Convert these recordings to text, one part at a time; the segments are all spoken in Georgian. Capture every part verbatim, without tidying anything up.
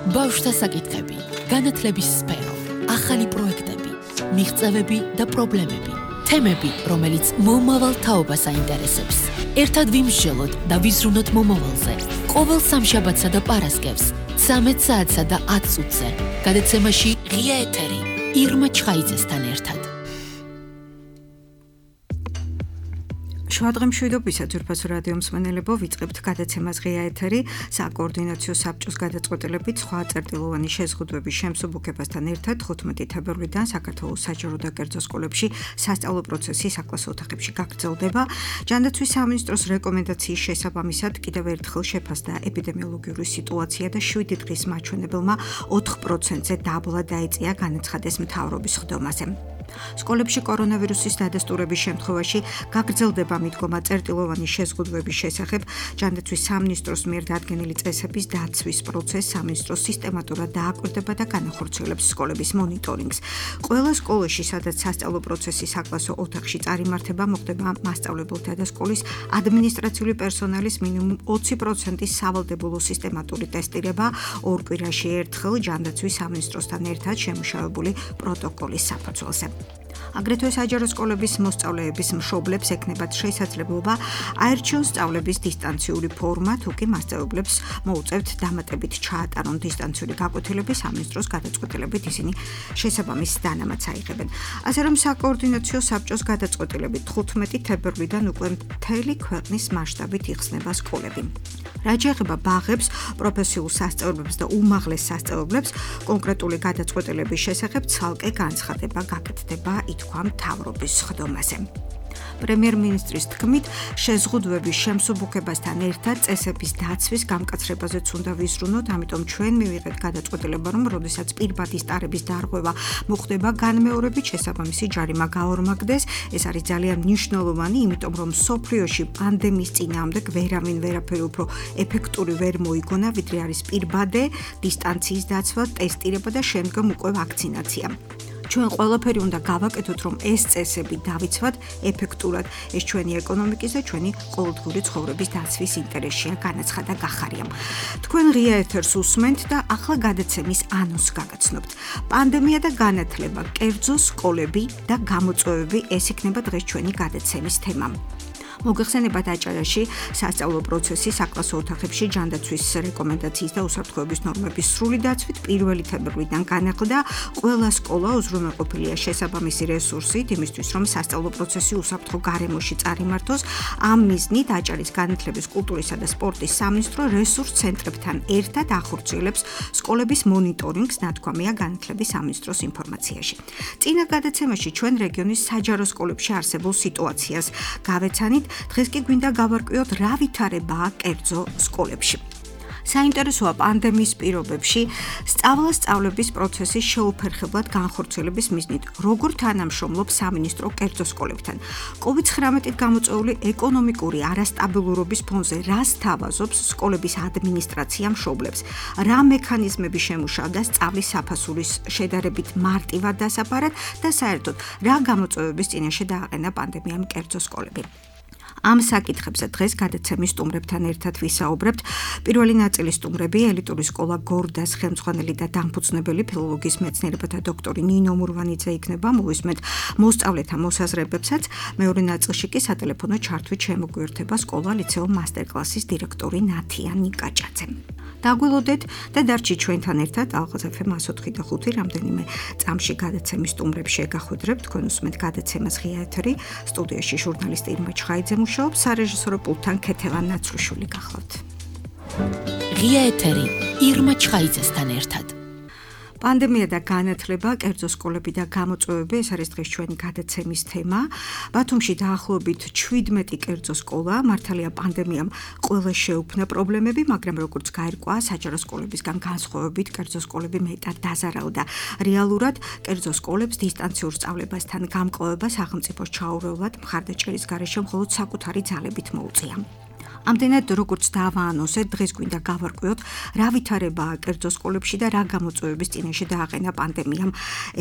ბავშვთა საკითხები, განათლების სფერო, ახალი პროექტები, მიღწევები და პრობლემები, თემები, რომელიც მომავალ თაობას აინტერესებს. ერთად ვიმსჯელოთ და ვიზრუნოთ მომავალზე. ყოველ სამშაბათსა და პარასკევს, ცამეტ საათსა და ათ წუთზე. გადაცემაში ღია ეთერი, ირმა ჩხაიძესთან ერთად. შუადღე მშვიდობისა ძვირფასო რადიო მსმენელებო, ვიწყებთ გადაცემას ღია ეთერი, საკოორდინაციო საბჭოს გადაწყვეტილებით სხვა წერტილოვანი შეზღუდვების შემსუბუქებასთან ერთად თხუთმეტი თებერვლიდან საქართველოს საჯარო და კერძო სკოლებში სასწავლო პროცესი საკლასო ოთახებში გაგრძელდება. ჯანდაცვის სამინისტროს რეკომენდაციის შესაბამისად კიდევ ერთხელ შეფასდა ეპიდემიოლოგიური სიტუაცია და შვიდი დღის მაჩვენებელმა ოთხ პროცენტზე დაბლა დაეწია განაცხადეს მთავრობის ხდომაზე. სკოლებში კორონავირუსის დადასტურების შემთხვევაში გაგრძელდება მიდგომა წერტილოვანი შეზღუდვების შესახებ. ჯანდაცვის სამინისტროს მიერ დადგენილი წესების დაცვის პროცესს სამინისტრო სისტემატურად დააკვირდება და განახორციელებს სკოლების მონიტორინგს. ყველა სკოლაში, სადაც სასწავლო პროცესი საკლასო ოთახში წარიმართება, მოხდება მასწავლებელთა და სკოლის ადმინისტრაციული პერსონალის მინიმუმ ოცი პროცენტის სავალდებულო სისტემატური ტესტირება ორ კვირაში ერთხელ ჯანდაცვის სამინისტროსთან ერთად შემუშავებული პროტოკოლის საფუძველზე. აგრეთვე საჯარო სკოლების მოსწავლეების მშობლებს ექნებათ შესაძლებლობა აერჩიონ სწავლების დისტანციური ფორმა, თუ კი მასწავლებლებს მოუწევთ დამატებით ჩაატარონ დისტანციური გაკვეთილები, სამინისტროს გადაწყვეტილებით ისინი შესაბამის დანამატს აიღებენ. ასე რომ საკოორდინაციო საბჭოს გადაწყვეტილებით თხუთმეტი თებერვლიდან უკვე მთელი ქვეყნის მასშტაბით იხსნება სკოლები. რაც შეეხება ბაღებს, პროფესიულ სასწავლებლებს და უმაღლეს სასწავლებლებს, კონკრეტული გადაწყვეტილების შესახებ ცალკე განცხადება გაკეთდება, ითქვა მთავრობის ხდომაზე. პრემიერ-მინისტრის თქმით, შეზღუდვების შემსუბუქებასთან ერთად წესების დაცვის გამკაცრებაზეც უნდა ვიზრუნოთ, ამიტომ ჩვენ მივიღეთ გადაწყვეტილება, რომ როდესაც პირბადის ტარების დარღვევა მოხდება განმეორებით, შესაბამისი ჯარიმა გაორმაგდეს. ეს არის ძალიან მნიშვნელოვანი, იმიტომ რომ მსოფლიოში პანდემიის წინააღმდეგ ვერავინ ვერაფერი უფრო ეფექტური ვერ მოიგონა, ვიდრე არის პირბადე, დისტანციის დაცვა, ტესტირება და შემდგომ უკვე ვაქცინაცია. ჩვენ ყველაფერი უნდა გავაკეთოთ, რომ ეს წესები დავიცვათ ეფექტურად. ეს ჩვენი ეკონომიკის და ჩვენი ყოველდღიური ცხოვრების დაცვის ინტერესშია, განაცხადა გახარიამ. თქვენ ღია ეთერს უსმენთ და ახლა გადაცემის ანონსს გაგაცნობთ. პანდემია და განათლება, კერძო სკოლები და გამოწვევები, ეს იქნება დღეს ჩვენი გადაცემის თემა. მოგეხსენებათ აჭარაში სასწავლო პროცესი საკლასო ოთახებში ჯანდაცვის რეკომენდაციის და უსაფრთხოების ნორმების სრული დაცვით პირველი თებერვლიდან განახლდა. ყველა სკოლა უზრუნველყოფილია შესაბამისი რესურსით იმისთვის, რომ სასწავლო პროცესი უსაფრთხო გარემოში წარიმართოს. ამ მიზნით აჭარის განათლების, კულტურისა და სპორტის სამინისტრო რესურს ცენტრებთან ერთად ახორციელებს სკოლების მონიტორინგს, ნათქვამია განათლების სამინისტროს ინფორმაციაში. წინა გადაცემაში ჩვენ რეგიონის საჯარო სკოლებში არსებულ სიტუაციას გავეცანით. დღეს კი გვინდა გავარკვიოთ, რა ვითარებაა კერძო სკოლებში. საინტერესოა პანდემიის პირობებში სწავლა-სწავლების პროცესის შეუფერხებლად განხორციელების მიზნით, როგორ თანამშრომლობს სამინისტრო კერძო სკოლებთან. კოვიდ ცხრამეტით გამოწვეული ეკონომიკური არასტაბილურობის ფონზე რას თავაზობს სკოლების ადმინისტრაცია მშობლებს, რა მექანიზმები შემუშავდა სწავლის საფასურის შედარებით მარტივად დასაფარად და საერთოდ რა გამოწვევების წინაშე დააყენა პანდემიამ კერძო სკოლები. ამ საკითხებზე დღეს გადაცემის სტუმრებთან ერთად ვისაუბრებთ. პირველი ნაწილის სტუმრები ელიტური სკოლა გორდას ხელმძღვანელი და დამფუძნებელი ფილოლოგიის მეცნიერებათა დოქტორი ნინო მურვანიძე იქნება. მოვისმენთ მოსწავლეთა მოსაზრებებსაც. მეორე ნაწილში კი სატელეფონო ჩართვით შემოგვიერთება სკოლა ლიცეუმ მასტერკლასის დირექტორი ნათია ნიკაჭაძე. დაგვილოდეთ და დარჩით ჩვენთან ერთად ალღაზ ეფ ემ ათს ოთხი და ხუთი რამდენიმე წამში გადაცემის სტუმრებს შეგახვედრებთ. თქვენ უსმენთ გადაცემას ღია ეთერი, სტუდიაში ჟურნალისტი ირმა ჩხაიძე მუშაობს, სარეჟისორო პულტთან ქეთევან ნაცრუშვილი გახლავთ. ღია ეთერი, ირმა ჩხაიძესთან ერთად. პანდემია და განათლება, კერძო სკოლები და გამოწვევები, ეს არის დღეს ჩვენი გადაცემის თემა. ბათუმში დაახლოებით შვიდმეტი კერძო სკოლა, მართალია პანდემიამ ყველა შეუქმნა პრობლემები, მაგრამ როგორც გაირკვა, საჯარო სკოლებისგან განსხვავებით კერძო სკოლები მეტად დაზარალდა. რეალურად კერძო სკოლებს დისტანციურ სწავლებასთან გამკლავება სახელმწიფოს ჩაურევლად მხარდაჭერის გარეშე მხოლოდ საკუთარი ძალებით მოუწია. ამდენად როგორც დავაანონსეთ, დღეს გვინდა გავარკვიოთ, რა ვითარებაა კერძო სკოლებში და რა გამოწვევების წინაშე დააყენა პანდემიამ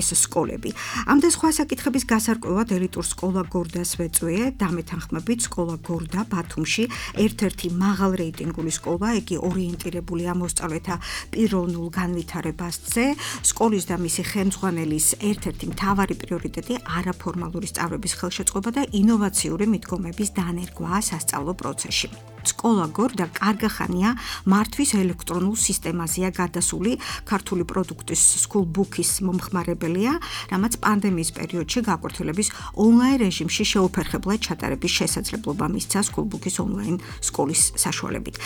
ეს სკოლები. ამ და სხვა საკითხების გასარკვევად ელიტურ სკოლა გორდას ვეწვიე, დამეთანხმებით სკოლა გორდა ბათუმში, ერთ-ერთი მაღალ რეიტინგული სკოლა, იგი ორიენტირებულია მოსწავლეთა პიროვნულ განვითარებაზე. სკოლის და მისი ხელმძღვანელის ერთ-ერთი მთავარი პრიორიტეტი არაფორმალური სწავლების ხელშეწყობა და ინოვაციური მიდგომების დანერგვა სასწავლო პროცესში. სკოლა გორდა კარგა ხანია მართვის ელექტრონულ სისტემაზეა გადასული, ქართული პროდუქტის სკულბუქის მომხმარებელია, რამაც პანდემიის პერიოდში გაკვირთელების ონლაინ რეჟიმში შეუფერხებლად ჩატარების შესაძლებლობა მისცა სკულბუქის ონლაინ სკოლის საშუალებით.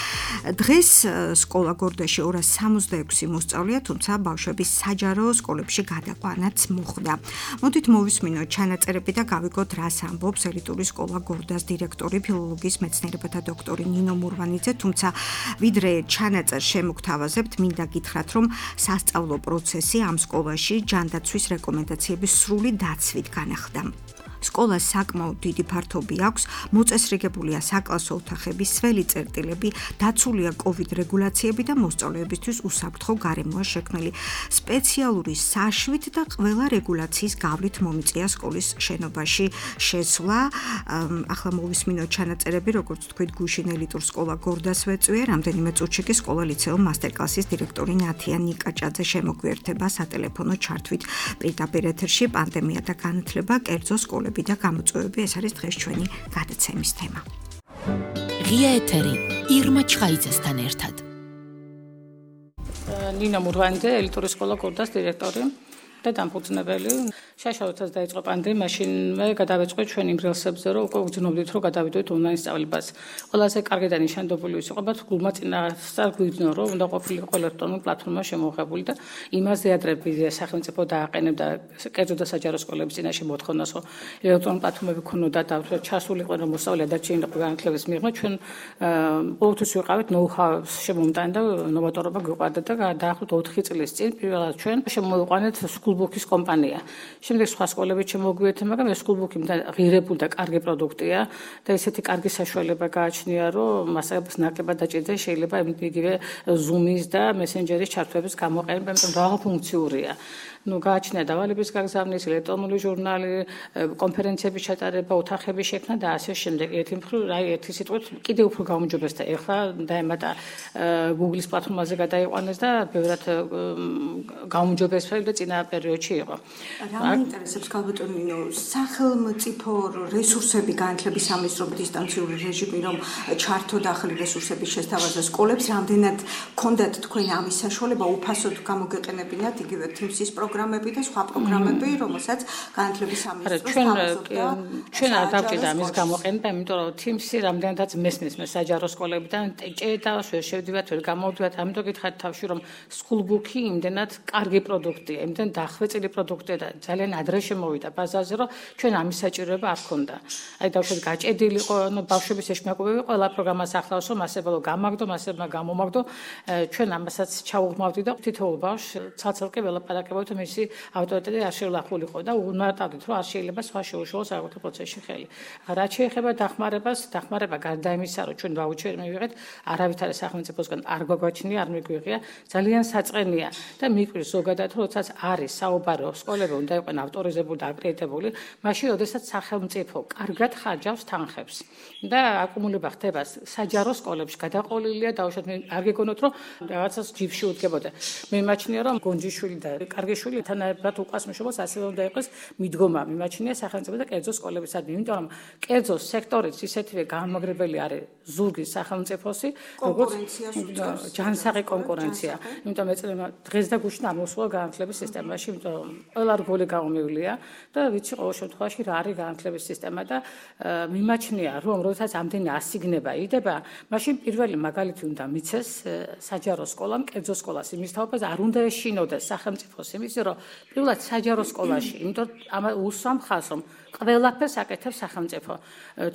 დღეს სკოლა გორდაში ორას სამოცდაექვსი მოსწავლეა, თუმცა ბავშვების საჯარო სკოლებში გადაყვანაც მოხდა. მოდით მოვისმინოთ ჩანაწერები და გავიგოთ, რას ამბობს ელიტური სკოლა გორდას დირექტორი, ფილოლოგიის მეცნიერებათა დოქტორი ნინო მურვანიძე, თუმცა ვიდრე ჩანაწერს შემოგთავაზებთ, მინდა გითხრათ, რომ სასწავლო პროცესი ამ სკოლაში ჯანდაცვის რეკომენდაციების სრული დაცვით განახლდა. სკოლას საკმაოდ დიდი ფართობი აქვს, მოწესრიგებულია საკლასო ოთახები, სველი წერტილები, დაცულია კოვიდ რეგულაციები და მოსწავლეებისთვის უსაფრთხო გარემოა შექმნილი. სპეციალური საშვით და ყველა რეგულაციის გავლით მომიწია სკოლის შენობაში შესვლა. ახლა მოვისმინოთ ჩანაწერები, როგორც თქვით, გუშინ ელიტურ სკოლა გორდას ვეწვიე, რამდენიმე წუთში კი სკოლა ლიცეუმ მასტერკლასის დირექტორი ნათია ნიკაჭაძე შემოგვიერთება სატელეფონო ჩართვით პირდაპირ ეთერში. პანდემია და განათლება, კერძო სკოლები და გამოწვევები, ეს არის დღეს ჩვენი გადაცემის თემა. ღია ეთერი ირმა ჩხაიძესთან ერთად. ნინო მურვანიძე, ელიტური სკოლა გორდას დირექტორი და დამფუძნებელი. შაშავთაც დაიწყო პანდემია, მაშინვე გადავეწყოთ ჩვენ იმ რელსებზე, რომ უკვე ვგრძნობდით, რომ გადავიდოთ ონლაინ სწავლებას. ყველაზე კარგი და ნიშანდობელი ის იყო, բայց გულმა წინასწარ გვიგრძნო, რომ უნდა ყოფილიყო ელექტრონული პლატფორმა შემოღებული და იმაზე ადრე სახელმწიფო დააყენებდა კერძო და საჯარო სკოლების წინაშე მოთხოვნას, რომ ელექტრონული პლატფორმები ქონოდა და ჩასულიყო, რომ მოსწავლე დარჩენილიყო განათლების მიღმა, ჩვენ ყოველთვის ვიყავით ნოუ-ჰაუს შემომტანი და ნოვატორობა გვიყვარდა და დაახლოებით ოთხი წლის წინ პირველად ჩვენ შემოვიყვანეთ სკულბუქის კომპანია. შემდეგ სხვა სკოლებით შემოგვიერთდა, მაგრამ ეს სკულბუქი ღირებული და კარგი პროდუქტია და ესეთი კარგი საშუალება გააჩნია, რომ მასალებს ნაკლებად დაჭირდა, შეიძლება იგივე Zoom-ის და Messenger-ის ჩართვების გამოყენება, იმიტომ რომ რაღაცფუნქციურია. ნუ გააჩნია დავალების გაგზავნის, ელექტრონული ჟურნალი, კონფერენციების ჩატარება, ოთახების შექმნა და ასე შემდეგ. ერთი მხრივ, აი ერთი სიტყვით კიდევ უფრო გაუმჯობესდა. ეხლა დაემატა Google-ის პლატფორმაზე გადაიყვანეს და ბევრად გაუმჯობესდა და წინა პერიოდში იყო. რა მეინტერესებს ქალბატონო ნინო, სახელმწიფო რესურსები განათლების სამინისტროს დისტანციური რეჟიმი, რომ ჩართო და ახალი რესურსების შესთავაზა სკოლებს, რამდენად ქონდათ თქვენ ამის საშუალება უფასოდ გამოგეყენებინათ იგივე თიმსის პროგრამები და სხვა პროგრამები, რომელსაც განათლების სამინისტრო თავაზობდა. ჩვენ არ დავჭირდა ამის გამოყენება, იმიტომ რომ თიმსი რამდენადაც მესმის მე საჯარო სკოლებიდან ჭედა, შევდივართ, ვერ გამოვდივართ, ამიტომ გითხარით თავში, რომ სკულბუქი იმდენად კარგი პროდუქტია, იმდენ დახვეწილი პროდუქტია და ძალიან ადრე შემოვიდა ბაზარზე, რომ ჩვენ ამის საჭიროება არ ქონდა. აი დავშვეთ გაჭედილიყო, ანუ ბავშვების ეშმაკობები ყველა პროგრამას ახლავს, რომ მასებელო გამაგდო, მასებმა გამომაგდო, ჩვენ ამასაც ჩაუღმავდით და თითოეულ ბავშვს ცალ-ცალკე ველაპარაკებავთ, მისი ავტორიტეტი არ შევლახულიყო და უნარტავდით, რომ არ შეიძლება სხვა შეუშალოს საკუთარ პროცესში ხელი. რაც შეეხება დახმარებას, დახმარება გარდა იმისა, რომ ჩვენ ვაუჩერი მივიღეთ, არავითარი სახელმწიფოსგან არ გვაგვაჩნია, არ მიგვიღია, ძალიან საწყენია და მიკვირს ზოგადად, როდესაც არის საუბარო სკოლები უნდა იყვნენ ავტორიზებული და აკრედიტებული, მაშინ როდესაც სახელმწიფო კარგად ხარჯავს თანხებს და აკუმულება ხდება საჯარო სკოლებში გადაყოლილია, დაუშვათ არ გეგონოთ, რომ რაღაცას ჯიბში უდგებოდა. მე მიმაჩნია, რომ გონჯიშვილი და კარგი შვილი თანაებად უკასმშობოს ასევე უნდა იყოს მიდგომა. მიმაჩნია სახელმწიფო და კერძო სკოლებისადმი, იმიტომ რომ კერძო სექტორიც ისეთივე გამაგრებელი არის ზურგის სახელმწიფოსი, როგორც ჯანსაღი კონკურენცია. იმიტომ ეწევა დღეს და გუშინ ამოსულა განათლების სისტემაში, იმიტომ რომ ყველა რგოლი გამომივლია და ვიცი ყოველ შემთხვევაში რა არის განათლების სისტემა და მიმაჩნია, რომ როდესაც ამდენი ასიგნება იდება, მაშინ პირველი მაგალითი უნდა მიცეს საჯარო სკოლამ, კერძო სკოლას იმის თაობას არ უნდა ეშინოდეს სახელმწიფოს იმის, ისე რომ პირველად საჯარო სკოლაში, იმიტომ ამ უსვამ ხაზს რომ ყველაფერს აკეთებს სახელმწიფო.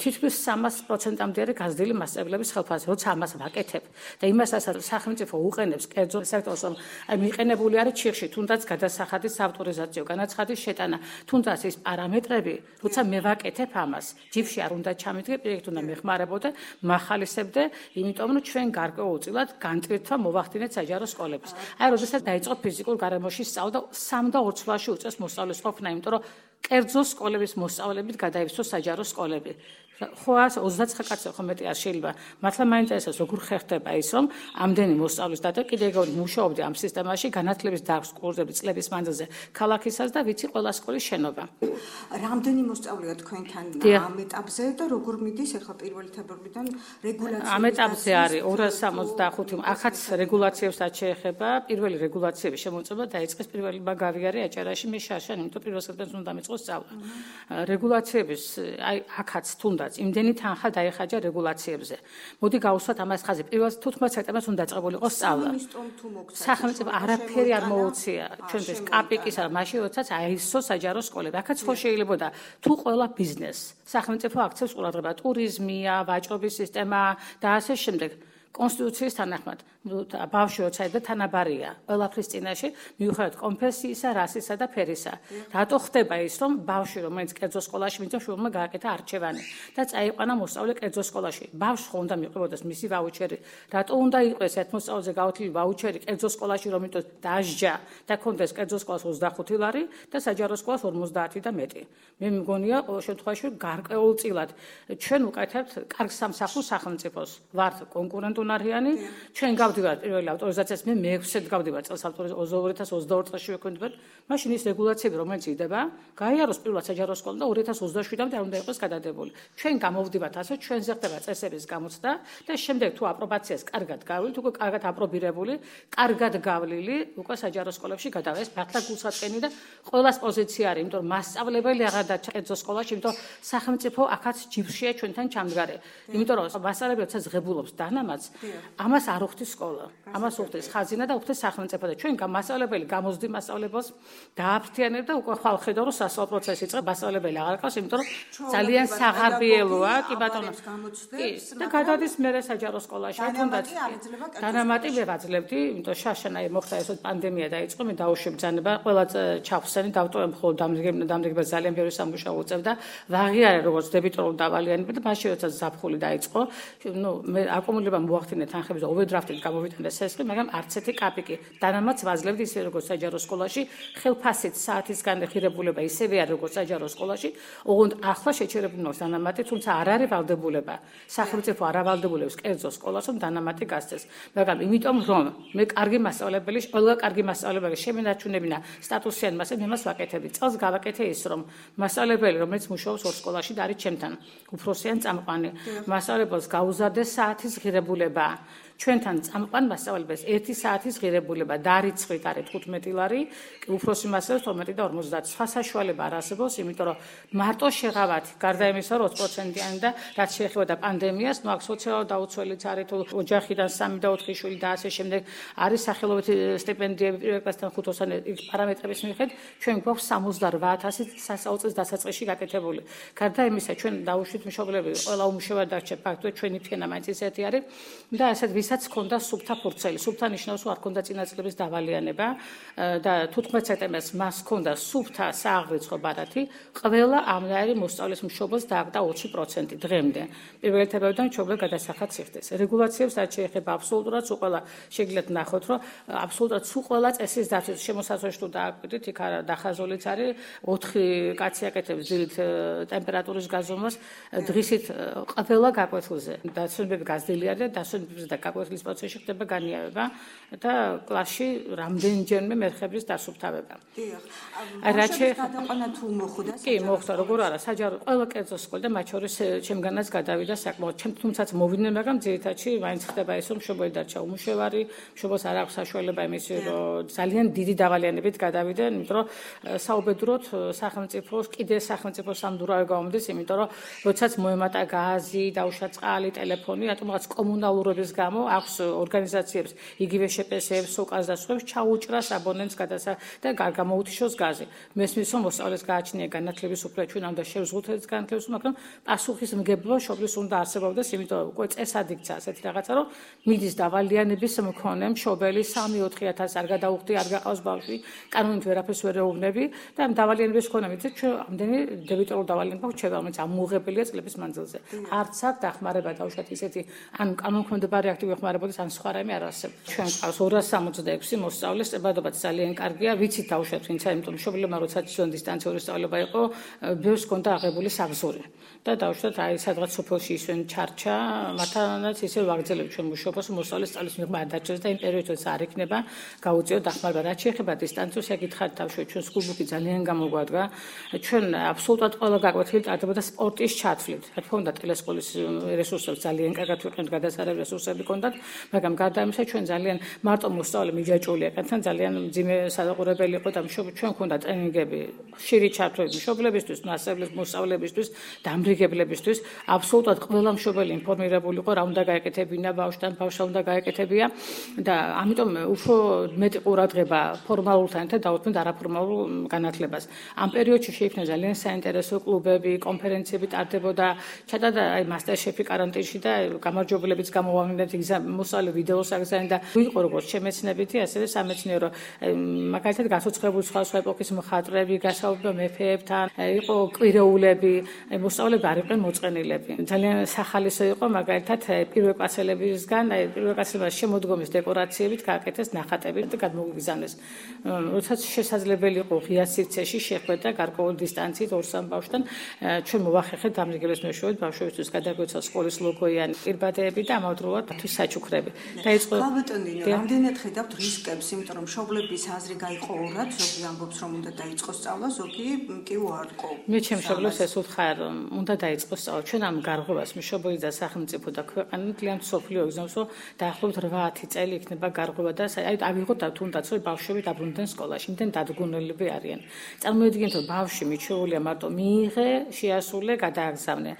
თითქმის სამას პროცენტამდე არის გაზრდილი მასწავლებლების ხელფასი, როცა ამას ვაკეთებ და იმასაც სახელმწიფო უყენებს კერძო სექტორს, რომ აი მიყენებული არის ჩიხში, თუნდაც გადასახადის ავტორიზაციო, განაცხადის შეტანა, თუნდაც ის პარამეტრები, როცა მე ვაკეთებ ამას, ჯიბში არ უნდა ჩამიდგე, პროექტ უნდა მეხმარებოდე, მახალისებდე, იმიტომ რომ ჩვენ გარკვეულწილად განტვირთვა მოვახდინეთ საჯარო სკოლებს. აი, როდესაც დაიწყო ფიზიკურ გარემოში სწავლა, სამ და ორ წლებში უწევს მოსწავლის ყოფნა, იმიტომ რომ კერძო სკოლების მოსწავლებით გადაივსო საჯარო სკოლები. ხო ოცდაცხრა კაცი ხო მეტი არ შეიძლება. მართლა მაინტერესებს როგორ ხერხდება ის რომ ამდენი მოსწავლის და კიდე ეგრე მუშაობდი ამ სისტემაში განათლების დარგს კურსები წლების მანძილზე ქალაქისას და ვიცი ყველა სკოლის შენობა. რამდენი მოსწავლეა თქვენთან ამ ეტაპზე და როგორ მიდის ახლა პირველი თებერვლიდან რეგულაცია? ამ ეტაპზე არის ორას სამოცდახუთი ახაც რეგულაციებსაც შეეხება. პირველი რეგულაციები შემოწმება დაიწყეს პირველი მაგარიარი აჭარაში მე შარშან, იმიტომ პირველ სექტემბერს უნდა მიწყოს სწავლა. რეგულაციების აი ახაც თუნდაც იმდენი თანხა დაიხაჯა რეგულაციებზე. მოდი გავუსვათ ამას ხაზი. პირველ თუთხმეტ სექტემბერს უნდა დაწყებულიყო სწავლა. სახელმწიფო არაფერი არ მოუწია ჩვენთვის კაპიკის არ მაშინ როდესაც აისო საჯარო სკოლები. აქაც ხო შეიძლება თუ ყველა ბიზნეს სახელმწიფო აქცევს ყურადღება, ტურიზმია, ვაჭრობის სისტემა და ასე შემდეგ. კონსტიტუციის თანახმად ბავშვი როცა და თანაბარია ყველაფრის წინაშე მიუხედავად კონფესიისა, რასისა და ფერისა. რატო ხდება ის რომ ბავშვი რომელიც კერძო სკოლაში მიწევს შვილმა გააკეთა არჩევანი და წაიყვანა მოსწავლე კერძო სკოლაში. ბავშვს ხო უნდა მიყვებოდეს მისი ვაუჩერი. რატო უნდა იყოს ერთ მოსწავლეზე გაუთლილი ვაუჩერი კერძო სკოლაში რომ იმიტომ დაჟჯა და კონდეს კერძო სკოლას ოცდახუთი ლარი და საჯარო სკოლას ორმოცდაათი და მეტი. მე მგონია ყოველ შემთხვევაში გარკვეულწილად ჩვენ უკეთებთ კარგ სამსახურს სახელმწიფოს. ვართ კონკურენტუნარიანი, ჩვენ გავდივართ პირველი ავტორიზაციას, მე მეექვსედ გავდივარ წელს ავტორიზაციას ორი ათას ოცდაორ წელში ვექვემდებარ. მაშინ ის რეგულაციები რომელიც იდება, გაიაროს პირველად საჯარო სკოლა და ორი ათას ოცდაშვიდამდე არ უნდა იყოს გადადებული. ჩვენ გამოვდივართ ასე, ჩვენზე ხდება წესების გამოცდა და შემდეგ თუ აპრობაციას კარგად გავლის, უკვე კარგად აპრობირებული, კარგად გავლილი, უკვე საჯარო სკოლებში გადავეს მართლა გულსატკენი და ყველას პოზიცია არის, იმიტომ რომ მასწავლებელი აღარ დაჭერა სკოლაში, იმიტომ სახელმწიფო აქაც ჯიბშია ჩვენთან ჩამდგარი. იმიტომ რომ მასწავლებელი როცა ზღებულობს დანამატს, ამას არ უხდის სკოლა. ამას უხდის ხაზინა და უხდის სახელმწიფო და ჩვენ მასწავლებელი გამოზდი მასწავლებელს დააფრთიანებ და უკვე ხვალ ხედავ რომ სასწავლო პროცესი იწყება, მასწავლებელი აღარ ყავს, იმიტომ რომ ძალიან საღარბიელოა, კი ბატონო. და გადადის მერე საჯარო სკოლაში, თუნდაც დანამატი ვერ აძლევდი, იმიტომ შაშანაი მოხდა ეს პანდემია დაიწყო, მე დაუშვი ბრძანება, ყველა ჩავხსენი დავტოვებ ხოლმე დამრიგება ძალიან ბევრი სამუშაო უწევდა. ვაღიარე როგორც დებიტორულ დავალიანები და მაშინ როცა ზაფხული დაიწყო, ნუ მე აკუმულება მოახდინე თანხების ოვერდრაფტით გამოვიტანდა სესხი, მაგრამ არც ერთი კაპიკი დანამატს ვაძლევდი ისე როგორც საჯარო სკოლაში, ხელფასით საათის განხირებულება ისევე არის როგორც საჯარო სკოლაში, ოღონდ ახლა შეჩერებული ნოს დანამატი, თუმცა არ არის ვალდებულება. სახელმწიფო არ ავალდებულებს კერძო სკოლას, რომ დანამატი გასცეს. მაგრამ იმიტომ რომ მე კარგი მასწავლებელი, ყველა კარგი მასწავლებელი შემენარჩუნებინა სტატუსიან მასე მე მას ვაკეთებდი. წელს გავაკეთე ის რომ მასწავლებელი რომელიც მუშაობს ორ სკოლაში და არის ჩემთან, უფროსიან წამყვანი, მასწავლებელს გაუზარდეს საათის ღირებულება. ჩვენთან წამყვან მასწავლებელს ერთი საათის ღირებულება დარიცხვით არის თხუთმეტი ლარი, უფროსი მასწავლებლებს თორმეტი და ორმოცდაათი. სხვა საშუალება არ არსებობს, იმიტომ რომ მარტო შეღავათი, გარდა იმისა, რომ ოცი პროცენტიანი და რაც შეეხება პანდემიას, ნუ აქ სოციალურ დაუცველიც არის, თუ ოჯახიდან სამი და ოთხი შვილი და ასე შემდეგ, არის სახელობითი სტიპენდიები პირველ კლასთან ხუთოსანი პარამეტრების მიხედვით, ჩვენ გვაქვს სამოცდაორ ათასი სასწავლო წლის დასაწყისში გაკეთებული. გარდა იმისა, ჩვენ დაუშვით მშობლები, ყველა უმუშევრად დარჩა, ფაქტობრივად ჩვენი ფენა მაინც ისეთი არის და ასეთ ვისაც ქონდა სუფთა ფურცელი. სუფთა ნიშნავს, რომ არ ქონდა წინა წლების დავალიანება და თუთხმეტ სექტემბერს მას ქონდა სუფთა სააღრიცხვო ბარათი, ყველა ამნაირი მოსწავლის მშობელს დააგდა ოცი პროცენტი დღემდე. პირველი თებერვლიდან მშობლები გადასახადს იხდეს. რეგულაციებს რაც შეეხება აბსოლუტურად სულ ყველა შეგიძლიათ ნახოთ, რომ აბსოლუტურად სულ ყველა წესის დაცვის შემოსაზღვრეში თუ დააკვირდით, იქ დახაზულიც არის ოთხი კაცი აკეთებს დილით ტემპერატურის გაზომვას, დღისით ყველა გაკვეთილზე. დაცვებები გაზრდილი არის და დაცვებებზე და გაკვეთილის პროცესში ხდება განიავება და კლასში რამდენჯერმე მერხევრის დასუფთავება. დიახ. რაც გადაყვანა თუ მოხდა? კი, მოხდა, როგორ არა, საჯარო ყველა კერძო სკოლა და მათ შორის ჩემგანაც გადავიდა საკმაოდ. ჩემ თუმცაც მოვიდნენ, მაგრამ ძირითადში მაინც ხდება ის, რომ მშობელი დარჩა უმუშევარი, მშობელს არ აქვს საშუალება იმისი, რომ ძალიან დიდი დავალიანებით გადავიდნენ, იმიტომ რომ საუბედუროთ სახელმწიფოს, კიდე სახელმწიფოს სამდურავი გავამდის, იმიტომ რომ როდესაც მოემატა გაზი, დაუშვა წყალი, ტელეფონი, რატომ რაღაც კომუნალურობის გამო გამო აქვს ორგანიზაციებს იგივე შეპესეებს სოკას და სხვებს ჩაუჭრას აბონენტს გადასა და გამოუთიშოს გაზი. მესმის რომ მოსწავლეს გააჩნია განათლების უფლება ჩვენ უნდა შევზღუდოთ ეს განათლების უფლება, მაგრამ პასუხისმგებლობა შობლის უნდა არსებობდეს, იმიტომ უკვე წესად იქცა ასეთი რაღაცა, რომ მიდის დავალიანების მქონე მშობელი სამი ოთხი ათასი არ გადაუხდი, არ გაყავს ბავშვი, კანონით ვერაფერს ვერ ეუბნები და დავალიანების მქონე მიდეთ ჩვენ ამდენი დებიტორულ დავალიანება გვჩება, რომელიც ამოუღებელია წლების მანძილზე. არც აქ დახმარება დავუშვათ ისეთი ან კანონქვემდებარე აქტივი ხმარებოდეს ან სხვა რამე არ არსებობს. ჩვენ ყავს ორას სამოცდაექვსი მოსწავლე, წებადობაც ძალიან კარგია, ვიცით დავუშვათ ვინცა, იმიტომ მშობლებმა როცა ცოტა დისტანციური სწავლება იყო, ბევრს ჰქონდა აღებული საგზური. და დავუშვათ აი სადღაც სოფელში ისვენ ჩარჩა, მათანაც ისე ვაგრძელებ ჩვენ მუშაობას, მოსწავლეს სწავლის მიღმა არ დაჭერს და იმ პერიოდში არ იქნება გაუწიო დახმარება. რაც შეეხება დისტანციურს, ეკითხათ დავუშვათ ჩვენ სკულბუქი ძალიან გამოგვადგა. ჩვენ აბსოლუტურად ყველა გაკვეთილი ტარდებოდა სპორტის ჩათვლით. რა თქმა უნდა, ტელესკოლის რესურსებს ძალიან კარგად ვიყენებთ, გადასარევ რესურსები ჰქონდათ, მაგრამ გარდა ამისა ჩვენ ძალიან მარტო მოსწავლე მიჯაჭვული ეკეთან, ძალიან მძიმე სადაყურებელი იყო და ჩვენ ჰქონდა ტრენინგები, ხშირი ჩათვლები მშობლებისთვის, მასწავლებლებს, მოსწავლებისთვის, დამრიგებლებისთვის. აბსოლუტურად ყველა მშობელი ინფორმირებული იყო, რა უნდა გაეკეთებინა ბავშვთან, ბავშვს უნდა გაეკეთებია და ამიტომ უფრო მეტი ყურადღება ფორმალურთან ერთად დაუთმეთ არაფორმალურ განათლებას. ამ პერიოდში შეიქმნა ძალიან საინტერესო კლუბები, კონფერენციები ტარდებოდა, ჩატარდა აი მასტერშეფი კარანტინში და გამარჯვებლებიც გამოვამინდეთ მოსწავლე ვიდეოს აგზავნე და იყო როგორც შემეცნებითი, ასევე სამეცნიერო, მაგალითად გასოცხებული სხვა სხვა ეპოქის მხატვრები, გასაუბრება მეფეებთან, იყო კვირეულები, მოსწავლეები არ იყვნენ მოწყენილები. ძალიან სახალისო იყო მაგალითად პირველკლასელებისგან, აი პირველკლასელებმა შემოდგომის დეკორაციებით გააკეთეს ნახატები და გადმოგვიგზავნეს. როდესაც შესაძლებელი იყო ღია სივრცეში შეხვედრა გარკვეული დისტანციით ორ-სამ ბავშვთან, ჩვენ მოვახერხეთ დამრიგებლის მეშვეობით ბავშვებისთვის გადაგვეცა სკოლის ლოგოიანი პირბადეები და ამავდროულად თვის საჩუქრები. დაიწყო ალბატონინო, რამდენად ხედავთ რისკებს, იმიტომ რომ მშობლების აზრი გაიყო ორად, ზოგი ამბობს რომ უნდა დაიწყოს სწავლა, ზოგი კი უარყო. მე ჩემ მშობლებს ეს უთხრა რომ უნდა დაიწყოს სწავლა. ჩვენ ამ გარღვევას მშობელი და სახელმწიფო და ქვეყანა ძალიან სოფლიო იგზნობს, რომ დაახლოებით რვა-ათი წელი იქნება გარღვევა და აი ავიღოთ თუნდაც რომ ბავშვები დაბრუნდნენ სკოლაში, იმდენ დადგუნელები არიან. წარმოიდგინეთ რომ ბავშვი მიჩვეულია მარტო მიიღე, შეასრულე, გადააგზავნე.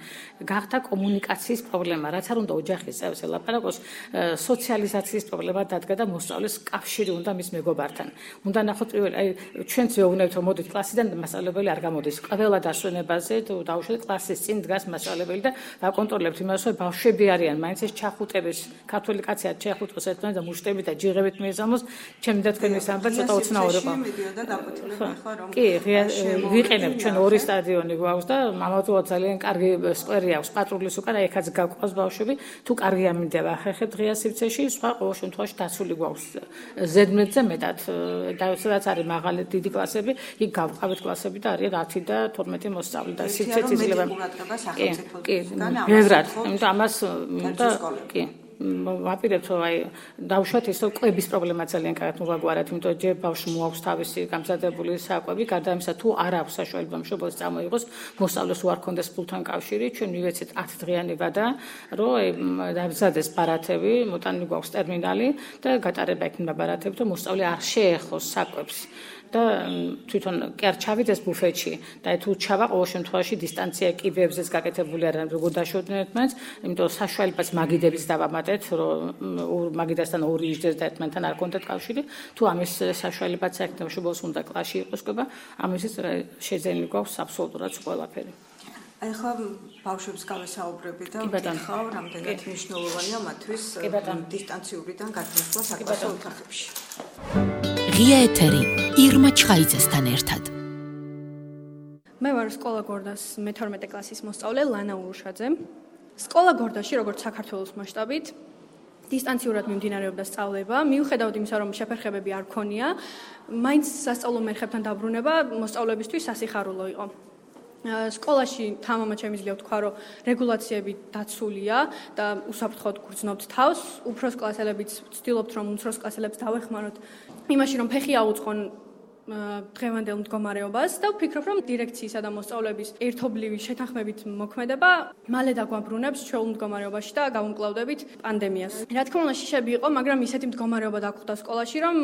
გახდა კომუნიკაციის პრობლემა, რაც არ უნდა ოჯახის წევრს ელაპარაკოს, სოციალიზაციის პრობლემა დადგა და მოსწავლეს კავშირი უნდა მის მეგობართან. უნდა ნახოთ პირველი, აი ჩვენც ვეუბნებთ რომ მოდით კლასიდან და მასწავლებელი არ გამოდის. ყველა დასვენებაზე დაუშვათ კლასის წინ დგას მასწავლებელი და ვაკონტროლებთ იმას, რომ ბავშვები არიან, მაინც ეს ჩახუტების, ქართველი კაცი არ ჩახუტოს ერთმანეთს და მუშტებით და ჯიღებით მიეზამოს, ჩემი და თქვენი სამბა ცოტა უცნაური იყო. კი, ვიყენებ ჩვენ ორი სტადიონი გვაქვს და ამავდროულად ძალიან კარგი სკვერი აქვს პატრულის უკან, ეხაც გაგვყავს ბავშვები, თუ კარგი ამინდება ხერხეთ ღია სივრცეში, სხვა ყოველ შემთხვევაში დაცული გვაქვს ზედმეტზე მეტად და სადაც არის მაღალი დიდი კლასები, იქ გავყავთ კლასები და არიან ათი და თორმეტი მოსწავლე და სივრცეც იძლევა. კი, ბევრად, იმიტომ ამას და კი ვაპირებთ რომ აი დავუშვათ ის რომ კვების პრობლემა ძალიან კარგად მოვაგვარეთ, იმიტომ ჯერ ბავშვი მოაქვს თავისი გამზადებული საკვები, გარდა ამისა თუ არ აქვს საშუალება მშობელს წამოიღოს, მოსწავლეს უარ ქონდეს ფულთან კავშირი, ჩვენ მივეცეთ ათი დღიანი ვადა, რომ დამზადეს ბარათები, მოტანილი გვაქვს ტერმინალი და გატარება იქნება ბარათები, რომ მოსწავლე არ შეეხოს საკვებს. და თვითონ კი არ ჩავიდეს ბუფეტში და თუ ჩავა ყოველ შემთხვევაში დისტანცია კიბეებზეც გაკეთებული არ არის როგორ დაშორდნენ ერთმანეთს, იმიტომ საშუალებაც მაგიდებს დავამატეთ, რომ მაგიდასთან ორი იჯდეს და ერთმანეთთან არ კონდეთ კავშირი, თუ ამის საშუალებაც აქვს მშობელს უნდა კლასში იყოს ყובה, ამისთვის შეძენილი გვაქვს აბსოლუტურად ყველაფერი. აი ხა ბავშვებს გავესაუბრები და ვთხოვ, რამდენად მნიშვნელოვანია მათთვის დისტანციურიდან გადასვლა საკლასო ოთახებში. ღია ეთერი ირმა ჩხაიძესთან ერთად. მე ვარ სკოლა გორდას მეთორმეტე კლასის მოსწავლე ლანა ურუშაძე. სკოლა გორდაში, როგორც საქართველოს მასშტაბით, დისტანციურად მიმდინარეობდა სწავლება. მიუხედავად იმისა, რომ შეფერხებები არ ქონია, მაინც სასწავლო მერხებთან დაბრუნება მოსწავლებისთვის სასიხარულო იყო. სკოლაში თამამად შემიძლია ვთქვა, რომ რეგულაციები დაცულია და უსაფრთხოდ გრძნობთ თავს. უფროს კლასელებიც ვცდილობთ, რომ უმცროს კლასელებს დავეხმაროთ იმაში, რომ ფეხი აუწყონ დღევანდელ მდგომარეობას და ვფიქრობ, რომ დირექციისა და მოსწავლების ერთობლივი შეთანხმებით მოქმედება მალე დაგვაბრუნებს ჩვეულ მდგომარეობაში და გავუმკლავდებით პანდემიას. რა თქმა უნდა, შიშები იყო, მაგრამ ისეთი მდგომარეობა დაგხვდა სკოლაში, რომ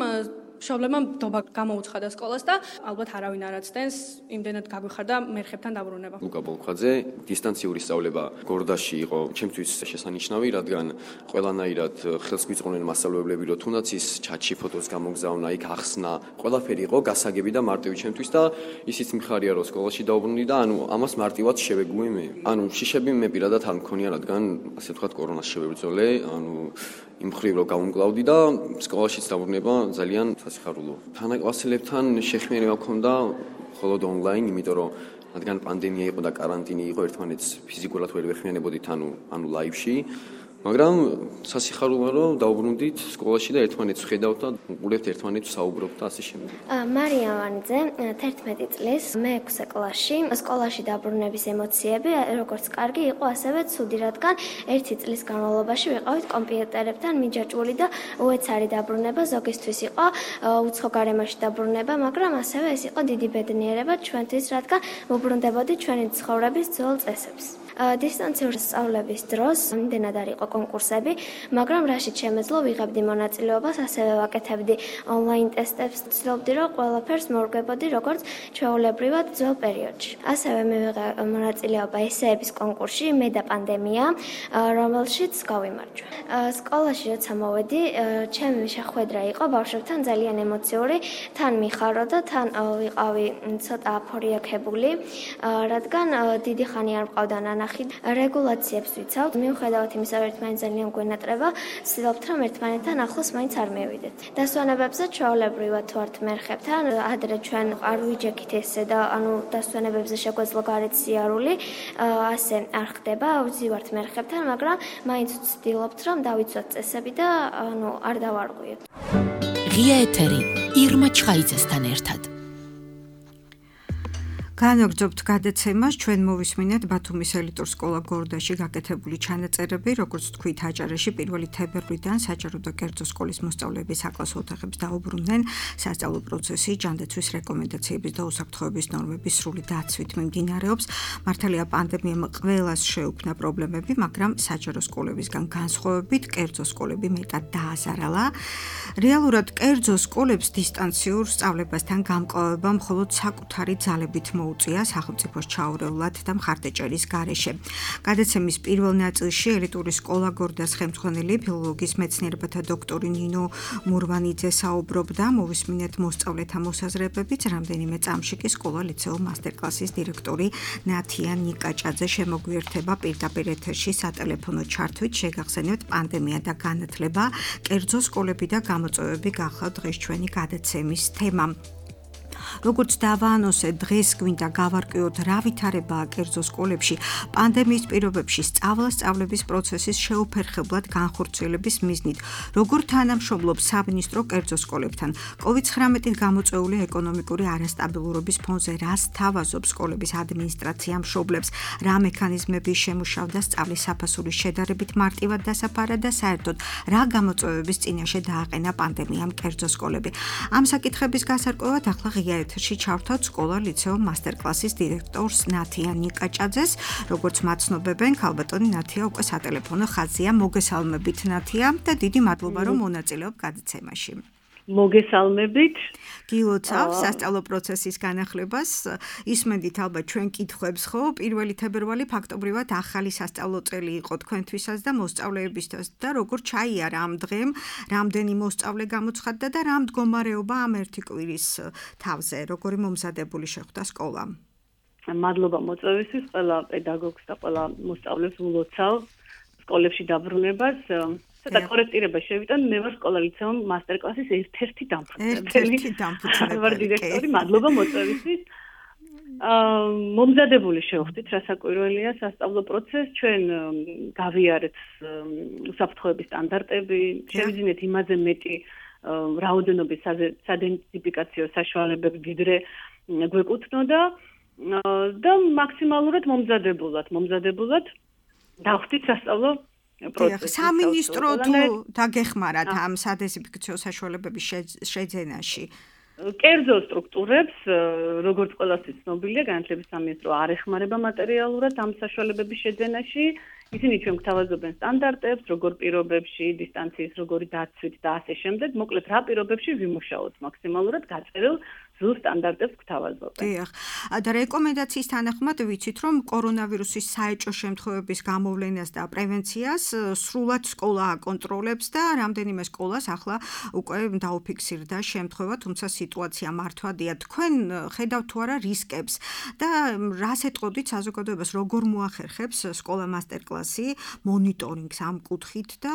მშობლებმა დობა გამოუცხადა სკოლას და ალბათ არავინ არ აცდენს იმდენად გაგვიხარდა მერხებთან დაბრუნება. ლუკა ბოლქვაძე, დისტანციური სწავლება გორდაში იყო ჩემთვის შესანიშნავი, რადგან ყველანაირად ხელს გვიწყობდნენ მასწავლებლები, რომ თუნდაც ის ჩატში ფოტოს გამოგზავნა, იქ ახსნა, ყველაფერი იყო გასაგები და მარტივი ჩემთვის და ისიც მიხარია, რომ სკოლაში დაუბრუნდი და ანუ ამას მარტივად შევეგუე მე. ანუ შიშები მე პირადად არ მქონია, რადგან ასე ვთქვათ კორონას შევებრძოლე, ანუ იმ მხრივ რომ გავუმკლავდი და სკოლაშიც დაბრუნება ძალიან სასიხარულო. თანაკლასელებთან შეხმიანება მქონდა მხოლოდ ონლაინ, იმიტომ რომ რადგან პანდემია იყო და каранტინი იყო, ერთმანეთს ფიზიკურად ვერ ვეხმიანებოდით, ანუ ანუ ლაივში, მაგრამ სასიხარულოა რომ დაუბრუნდით სკოლაში და ერთმანეთს ვხედავთ და უყურებთ ერთმანეთს საუბრობთ და ასე შემდეგ. მარია ვანიძე, თერთმეტი წლის, მეექვსე კლასში, სკოლაში დაბრუნების ემოციები როგორც კარგი იყო, ასევე ცუდი, რადგან ერთი წლის განმავლობაში ვიყავით კომპიუტერებთან მიჯაჭვული და უეცარი დაბრუნება ზოგისთვის იყო უცხო გარემოში დაბრუნება, მაგრამ ასევე ეს იყო დიდი ბედნიერება ჩვენთვის, რადგან ვუბრუნდებოდით ჩვენი ცხოვრების ძველ წესებს. დისტანციური სწავლების დროს იმდენად არ იყო კონკურსები, მაგრამ რაშიც შემეძლო ვიღებდი მონაწილეობას, ასევე ვაკეთებდი ონლაინ ტესტებს, ცდილობდი რომ ყველაფერს მოვგებოდი როგორც ჩვეულებრივად ძველ პერიოდში. ასევე მივიღე მონაწილეობა ესეების კონკურსში მე და პანდემია, რომელშიც გავიმარჯვე. სკოლაში როცა მოვედი, ჩემი შეხვედრა იყო ბავშვებთან ძალიან ემოციური, თან მიხარო და თან ვიყავი ცოტა აფორიაქებული, რადგან დიდი ხანი არ მყავდა ნანა რეგულაციებს ვიცავთ, მიუხედავად იმისა, რომ ერთმანეთს ძალიან გვენატრება, ვცდილობთ, რომ ერთმანეთთან ახლოს მაინც არ მივიდეთ. დასვენებებზე ჩვეულებრივად თუ ართ მერხებთან, ადრე ჩვენ არ ვიჯექით ესე და ანუ დასვენებებზე შეგვეძლო გარეთ სიარული, ასე არ ხდება, ვზივართ მერხებთან, მაგრამ მაინც ვცდილობთ, რომ დავიცვათ წესები და ანუ არ დავარღვიოთ. ღია ეთერი ირმა ჩხაიძესთან ერთად. განაგრძობთ გადაცემას, ჩვენ მოვისმინეთ ბათუმის ელიტურ სკოლა გორდაში გაკეთებული ჩანაწერები, როგორც თქვით, აჭარაში პირველი თებერვლიდან საჯარო და კერძო სკოლის მოსწავლეები საკლასო ოთახებს დაუბრუნდნენ. სასწავლო პროცესი ჯანდაცვის რეკომენდაციების და უსაფრთხოების ნორმების სრული დაცვით მიმდინარეობს. მართალია პანდემიამ ყველას შეუქმნა პრობლემები, მაგრამ საჯარო სკოლებისგან განსხვავებით კერძო სკოლები მეტად დააზარალა. რეალურად კერძო სკოლებს დისტანციურ სწავლებასთან გამკლავება მხოლოდ საკუთარი ძალებით უწია სახელმწიფოს ჩაურევლად და მხარდაჭერის გარეშე. გადაცემის პირველ ნაწილში ელიტური სკოლა გორდას ხელმძღვანელი ფილოლოგიის მეცნიერებათა დოქტორი ნინო მურვანიძე საუბრობდა, მოვისმინეთ მოსწავლეთა მოსაზრებებიც, რამდენიმე წამში კი სკოლა ლიცეუმ მასტერკლასის დირექტორი ნათია ნიკაჭაძე შემოგვიერთება პირდაპირ ეთერში სატელეფონო ჩართვით, შეგახსენებთ პანდემია და განათლება, კერძო სკოლები და გამოწვევები გახლავთ დღეს ჩვენი გადაცემის თემა. როგორც დავაანონსეთ, დღეს გვინდა გავარკვიოთ, რა ვითარებაა კერძო სკოლებში პანდემიის პირობებში სწავლა-სწავლების პროცესის შეუფერხებლად განხორციელების მიზნით, როგორ თანამშრომლობს სამინისტრო კერძო სკოლებთან, კოვიდ ცხრამეტით გამოწვეული ეკონომიკური არასტაბილურობის ფონზე რას თავაზობს სკოლების ადმინისტრაცია მშობლებს, რა მექანიზმები შემუშავდა სწავლის საფასურის შედარებით მარტივად დასაფარად და საერთოდ რა გამოწვევების წინაშე დააყენა პანდემიამ კერძო სკოლები. ამ საკითხების გასარკვევად ახლა ღია ეთერში ჩავთვალთ სკოლა ლიცეუმ მასტერკლასის დირექტორს ნათია ნიკაჭაძეს, როგორც მაცნობებენ, ქალბატონი ნათია უკვე სატელეფონო ხაზია. მოგესალმებით ნათია და დიდი მადლობა რომ მონაწილეობ გადაცემაში. მოგესალმებით. გილოცავ სასწავლო პროცესის განახლებას. ისმენდით ალბათ ჩვენ კითხვებს, ხო? პირველი თებერვალი ფაქტობრივად ახალი სასწავლო წელი იყო თქვენთვისაც და მოსწავლეებისთვის და როგორ ჩაიარა ამ დღემ, რამდენი მოსწავლე გამოცხადდა და რა მდგომარეობა ამ ერთი კვირის თავზე, როგორი მომზადებული შეხვდა სკოლა? მადლობა მოწვევისთვის, ყველა პედაგოგს და ყველა მოსწავლეს ულოცავ სკოლებში დაბრუნებას. და კორექტირება შევიტან, მე ვარ სკოლა ლიცეუმ მასტერკლასის ერთ-ერთი დამფუძნებელი. ერთ-ერთი დამფუძნებელი. ვარ დირექტორი, მადლობა მოწვევისთვის. აა მომზადებული შევხვდით, რასაკვირველია სასწავლო პროცესი, ჩვენ გავიარეთ უსაფრთხოების სტანდარტები, შევიძინეთ იმაზე მეტი რაოდენობის სადენტიფიკაციო საშუალებები, ვიდრე გვეკუთვნოდა და მაქსიმალურად მომზადებულად, მომზადებულად დავხდით სასწავლო პროცესს. სამინისტრო თუ დაგეხმარათ ამ სადეზინფექციო საშუალებების შეძენაში? კერძო სტრუქტურებს, როგორც ყველასთვის ცნობილია, განათლების სამინისტრო არ ეხმარება მატერიალურად ამ საშუალებების შეძენაში, ისინი ჩვენ გვთავაზობენ სტანდარტებს, როგორ პირობებში, დისტანციის როგორი დაცვით და ასე შემდეგ, მოკლედ რა პირობებში ვიმუშაოთ მაქსიმალურად გაწერილ ზუსტ სტანდარტებს გვთავაზობენ. დიახ. და რეკომენდაციის თანახმად ვიცით, რომ კორონავირუსის საეჭვო შემთხვევების გამოვლენას და პრევენციას სრულად სკოლა აკონტროლებს და რამდენიმე სკოლას ახლა უკვე დაუფიქსირდა შემთხვევა, თუმცა სიტუაცია მართვადია. თქვენ ხედავთ თუ არა რისკებს და რას ეტყოდით საზოგადოებას, როგორ მოახერხებს სკოლა მასტერკლასი მონიტორინგს ამ კუთხით და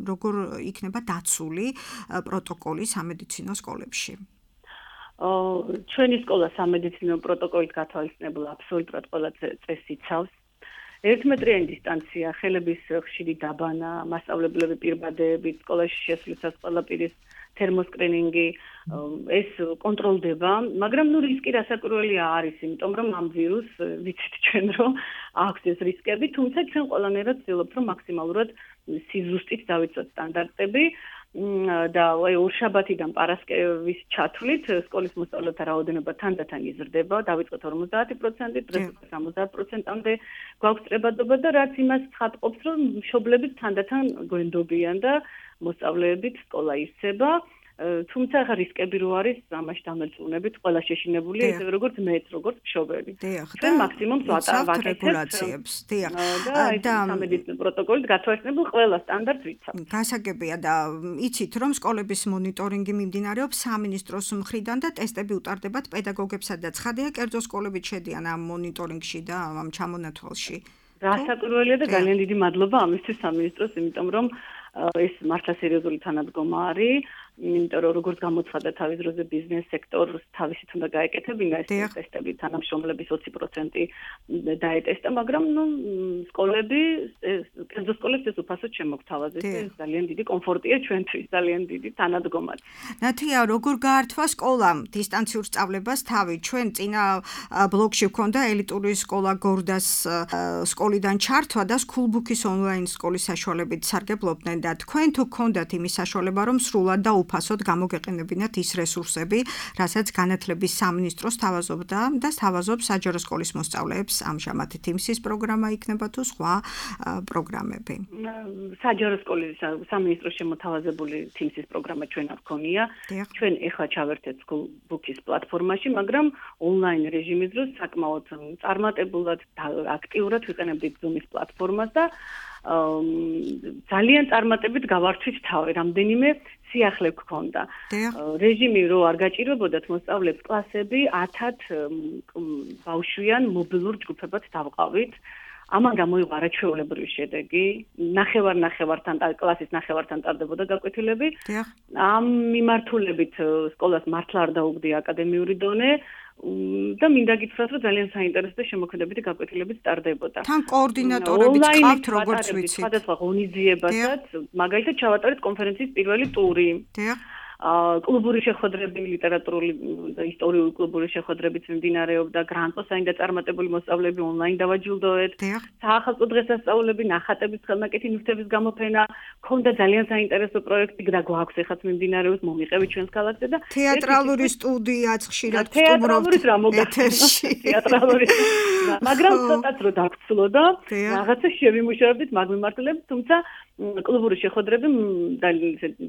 როგორ იქნება დაცული პროტოკოლი სამედიცინო სკოლებში? ჩვენი სკოლა სამედიცინო პროტოკოლით გათვალისწინებულ აბსოლუტურად ყველა წესს იცავს. ერთმეტრიანი დისტანცია, ხელების ხშირი დაბანა, მასწავლებლები პირბადეებით, სკოლაში შესვლისას ყველა პირის თერმოსკრინინგი, ეს კონტროლდება, მაგრამ ნუ რისკი რასაკვირველია არის, იმიტომ რომ ამ ვირუს ვიცით ჩვენ რომ აქვს ეს რისკები, თუმცა ჩვენ ყველანაირად ვცდილობთ რომ მაქსიმალურად სიზუსტით დავიცვათ სტანდარტები და აი ორშაბათიდან პარასკევის ჩათვლით სკოლის მოსწავლეთა რაოდენობა თანდათან იზრდება, დავიწყეთ ორმოცდაათი პროცენტით, დღეს სამოცდაათ პროცენტამდე გვაქვს წრებადობა და რაც იმას ცხადყოფს, რომ მშობლები თანდათან გვენდობიან და მოსწავლეებით სკოლა ივსება. თუმცა ახლა რისკები რო არის, ამაში დამერწმუნებით, ყველა შეშინებულია, ისევე როგორც მეც, როგორც მშობელი. ჩვენ მაქსიმუმს ვაკეთებთ რეგულაციებს. დიახ. და სამედიცინო პროტოკოლით გათვალისწინებულ ყველა სტანდარტს ვიცავთ. გასაგებია და იცით, რომ სკოლების მონიტორინგი მიმდინარეობს სამინისტროს მხრიდან და ტესტები უტარდებათ პედაგოგებსა და ცხადია, კერძო სკოლებით შედიან ამ მონიტორინგში და ამ ჩამონათვალში. რასაკვირველია და ძალიან დიდი მადლობა ამისთვის სამინისტროს, იმიტომ რომ ეს მართლა სერიოზული თანადგომა არის. იმიტომ რომ როგორც გამოცხადა თავის დროზე ბიზნეს სექტორს თავისით უნდა გაეკეთებინა ეს ტესტები, თანამშრომლების ოცი პროცენტი დაეტესტა, მაგრამ ნუ სკოლები, კერძო სკოლებს ეს უფასოდ შემოგთავაზეს. ეს ძალიან დიდი კომფორტია ჩვენთვის, ძალიან დიდი თანადგომაც. ნათია, როგორ გაართვა სკოლამ დისტანციურ სწავლებას თავი? ჩვენ წინა ბლოგში ვქონდა ელიტური სკოლა გორდას სკოლიდან ჩართვა და სკულბუქის ონლაინ სკოლის საშუალებით სარგებლობდნენ და თქვენ თუ გქონდათ იმის საშუალება, რომ სრულად და უფასოდ გამოგეყენებინათ ის რესურსები, რასაც განათლების სამინისტროს თავაზობდა და თავაზობს საჯარო სკოლის მოსწავლეებს, ამჟამად თიმსის პროგრამა იქნება თუ სხვა პროგრამები. საჯარო სკოლის სამინისტროს შემოთავაზებული თიმსის პროგრამა ჩვენ არ გქონია. ჩვენ ეხლა ჩავერთეთ სკულბუქის პლატფორმაში, მაგრამ ონლაინ რეჟიმის დროს საკმაოდ წარმატებულად და აქტიურად ვიყენებდით Zoom-ის პლატფორმას და ძალიან წარმატებით გავართვით თავი, რამდენიმე სიახლე გქონდა. რეჟიმი რო არ გაჭირვებოდათ მოსწავლეებს კლასები ათად ბავშვიან მობილურ ჯგუფებად დავყავით. ამან გამოიღო არაჩვეულებრივი შედეგი. ნახევარ-ნახევართან კლასის ნახევართან ტარდებოდა გაკვეთილები. ამ მიმართულებით სკოლას მართლა არ დაუგდია აკადემიური დონე. და მინდა გითხრათ, რომ ძალიან საინტერესო და შემოქმედებითი გაკვეთილებიც ტარდებოდა. თან კოორდინატორები გყავთ, როგორც ვიცით. სხვადასხვა ღონისძიებასაც, მაგალითად ჩავატარეთ კონფერენციის პირველი ტური. დიახ. კლუბური შეხვედრები, ლიტერატურული და ისტორიული კლუბური შეხვედრებიც მიმდინარეობდა, გრანტო საინდა წარმატებული მოსწავლეები ონლაინ დავაჯილდოეთ. საახალწლო დღესასწაულები, ნახატების ხელნაკეთი ნივთების გამოფენა, ქონდა ძალიან საინტერესო პროექტი და გვაქვს ეხაც მიმდინარეობს, მომიყევით ჩვენს ქალაქზე და თეატრალური სტუდიაც ხშირად თეატრალურის რა მოგეთერში. თეატრალური. მაგრამ ცოტაც რო დაგცლოდა, რაღაცა შევიმუშავებდით მაგ მიმართულებით, თუმცა კლუბური შეხვედრები და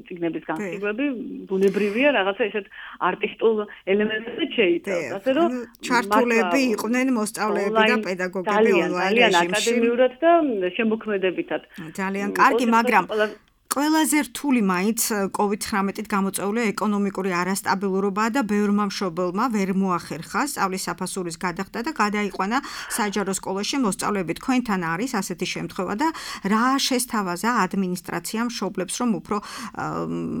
ციგნების განხილვები ბუნებრივია, რაღაცა ესეთ არტისტულ ელემენტებზე შეიცავს. ასე რომ ჩართულები იყვნენ მოსწავლეები და პედაგოგები ონლაინ რეჟიმში. ძალიან აკადემიურად და შემოქმედებითად. ძალიან კარგი, მაგრამ ყველაზე რთული მაინც კოვიდ ცხრამეტით გამოწვეული ეკონომიკური არასტაბილურობაა და ბევრმა მშობელმა ვერ მოახერხა სწავლის საფასურის გადახდა და გადაიყვანა საჯარო სკოლაში მოსწავლეები. თქვენთან არის ასეთი შემთხვევა და რა შესთავაზა ადმინისტრაციამ მშობლებს, რომ უფრო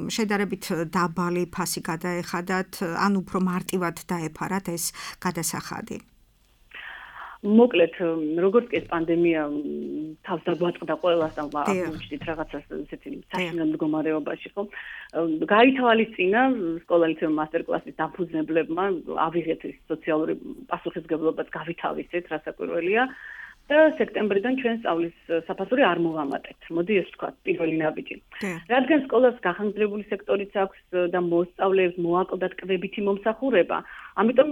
შედარებით დაბალი ფასი გადაეხადათ, ან უფრო მარტივად დაეფარათ ეს გადასახადი? მოკლედ, როგორც კი ეს პანდემია თავს დაგვაწყდა ყველას და აღმოჩნდით რაღაცას ესეთი საშინელ მდგომარეობაში, ხო? გაითვალისწინა სკოლა-ლიცეუმ მასტერკლასის დაფუძნებლებმა, ავიღეთ ეს სოციალური პასუხისმგებლობაც გავითავისეთ, რასაკვირველია. და სექტემბრიდან ჩვენ სწავლის საფასური არ მოვამატეთ. მოდი ეს ვთქვა, პირველი ნაბიჯი. რადგან სკოლას გახანგრძლივებული სექტორიც აქვს და მოსწავლეებს მოაკლდათ კვებითი მომსახურება, ამიტომ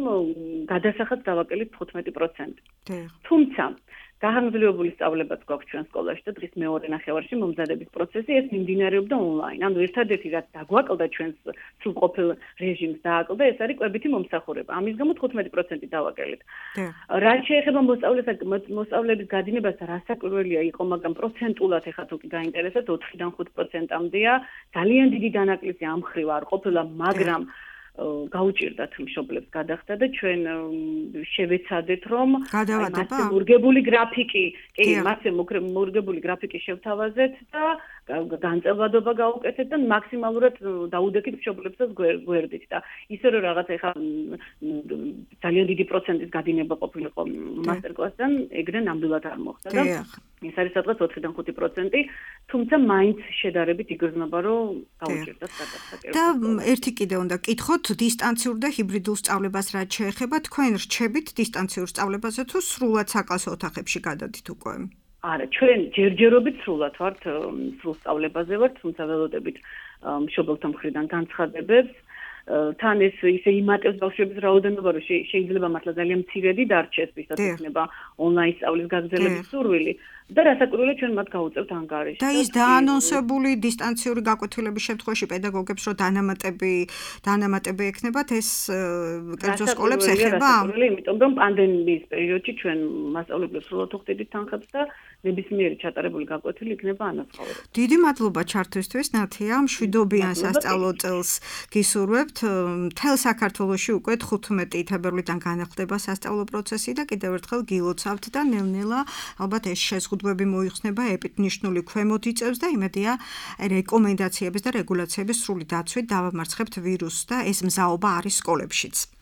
გადასახადს დავაკელით თხუთმეტი პროცენტი. თუმცა გახანგრძლივებული სწავლებაც გვაქვს ჩვენ სკოლაში და დღის მეორე ნახევარში მომზადების პროცესი ეს მიმდინარეობდა ონლაინ. ანუ ერთადერთი რაც დაგვაკლდა ჩვენს სრულყოფილ რეჟიმს დააკლდა ეს არის კვებითი მომსახურება. ამის გამო თხუთმეტი პროცენტი დავაკელით. რაც შეეხება მოსწავლეების გადინებას რა საკვირველია იყო, მაგრამ პროცენტულად ეხლა თუ კი გაინტერესებთ ოთხიდან ხუთ პროცენტამდეა. ძალიან დიდი დანაკლისი ამ მხრივ არ ყოფილა, მაგრამ გაუჭირდათ მშობლებს გადახდა და ჩვენ შევეცადეთ რომ გადავადება მორგებული გრაფიკი, კი, მასე მორგებული გრაფიკი შევთავაზეთ და განწყობადობა გაუკეთეთ და მაქსიმალურად დაუდექით მშობლებსაც გვერდით და ისე რომ რაღაც ეხა ძალიან დიდი პროცენტის გადინება ყოფილიყო მასტერკლასთან, ეგრე ნამდვილად არ მოხდა და ეს არის სადღაც ოთხიდან ხუთი პროცენტი, თუმცა მაინც შედარებით იგრძნობა რომ გაუჭირდათ გადახდა. და ერთი კიდე უნდა კითხოთ დისტანციურ და ჰიბრიდულ სწავლებას რაც შეეხება, თქვენ რჩებით დისტანციურ სწავლებაზე თუ სრულად საკლასო ოთახებში გადადით უკვე? არა, ჩვენ ჯერჯერობით სრულად ვართ სრულ სწავლებაზე ვართ, თუმცა ველოდებით მშობელთა მხრიდან განცხადებებს. თან ეს ისე იმატებს ბავშვების რაოდენობა, რომ შეიძლება მართლა ძალიან მცირედი დარჩეს, ვისაც იქნება ონლაინ სწავლის გაგრძელების სურვილი. და რასაკვირველია ჩვენ მათ გავუწევთ ანგარიში. და ის დაანონსებული დისტანციური გაკვეთილების შემთხვევაში პედაგოგებს რომ დანამატები დანამატები ექნებათ ეს კერძო სკოლებს ეხება? იმიტომ რომ პანდემიის პერიოდში ჩვენ მასწავლებლებს სრულად ვხდიდით თანხებს და ნებისმიერი ჩატარებული გაკვეთილი იქნება ანაცხოვრებელი. დიდი მადლობა ჩართვისთვის, ნათია, მშვიდობიან სასწავლო წელს გისურვებთ. მთელ საქართველოში უკვე თხუთმეტი თებერვლიდან განახლდება სასწავლო პროცესი და კიდევ ერთხელ გილოცავთ და ნელ-ნელა ალბათ ეს შეზღუდვები მოიხსნება ეპიდემიოლოგიური ქვემოთ იწევს და იმედია რეკომენდაციების და რეგულაციების სრული დაცვით დავამარცხებთ ვირუსს და ეს მზაობა არის სკოლებშიც.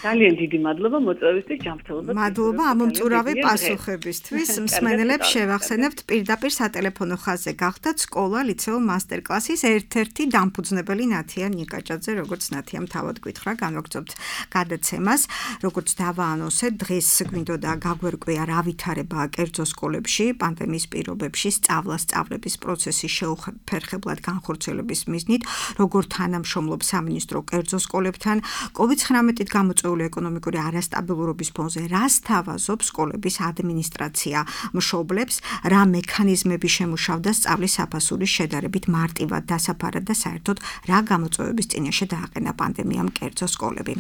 ძალიან დიდი მადლობა მოწვევისთვის, ჯანმრთელობა. მადლობა ამომწურავი პასუხებისთვის. მსმენელებს შევახსენებთ პირდაპირ სატელეფონო ხაზზე გახდათ სკოლა ლიცეო მასტერკლასის ერთ-ერთი დამფუძნებელი ნათია ნიკაჭაძე, როგორც ნათიამ თავად გითხრა, განვაგრძობთ გადაცემას, როგორც დავაანონსეთ, დღეს გვინდოდა გაგვერკვია რა ვითარებაა კერძო სკოლებში, პანდემიის პირობებში, სწავლა-სწავლების პროცესის შეუფერხებლად განხორციელების მიზნით, როგორ თანამშრომლობს სამინისტრო კერძო სკოლებთან, კოვიდ ცხრამეტით გამოწვეული ეკონომიკური არასტაბილურობის ფონზე რას თავაზობს სკოლების ადმინისტრაცია მშობლებს, რა მექანიზმები შემუშავდა სწავლის საფასურის შედარებით მარტივად დასაფარად და საერთოდ რა გამოწვევების წინაშე დააყენა პანდემიამ კერძო სკოლები.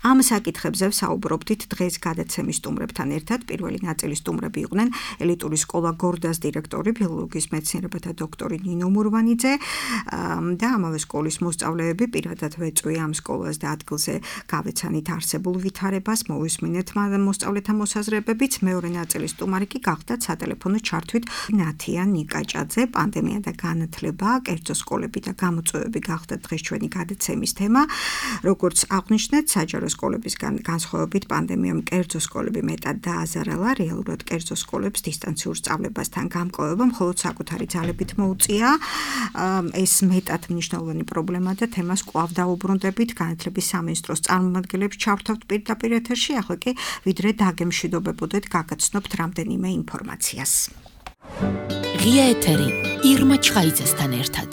ამ საკითხებზე საუბრობდით დღეს გადაცემის სტუმრებთან ერთად. პირველი ნაწილის სტუმრები იყვნენ ელიტური სკოლა გორდას დირექტორი, ფილოლოგიის მეცნიერებათა დოქტორი ნინო მურვანიძე და ამავე სკოლის მოსწავლეები. პირადად ვეწვი ამ სკოლას და ადგილზე გავეცანით არსებულ ვითარებას, მოვისმინეთ მოსწავლეთა მოსაზრებებიც. მეორე ნაწილის სტუმარი კი გახდათ სატელეფონო ჩართვით ნათია ნიკაჭაძე. პანდემია და განათლება, კერძო სკოლები და გამოწვევები გახდათ დღეს ჩვენი გადაცემის თემა. როგორც აღვნიშნეთ, საჯარო სკოლებისგან განსხვავებით პანდემიამ კერძო სკოლები მეტად დააზარალა, რეალურად კერძო სკოლებს დისტანციურ სწავლებასთან გამკლავება მხოლოდ საკუთარი ძალებით მოუწია. ეს მეტად მნიშვნელოვანი პრობლემა და თემას კვლავ დაუბრუნდებით. განათლების სამინისტროს წარმომადგენლებს ჩავრთავთ პირდაპირ ეთერში, ახლა კი ვიდრე დაგემშვიდობებოდეთ, გაგაცნობთ რამდენიმე ინფორმაციას. ღია ეთერი ირმა ჩხაიძესთან ერთად.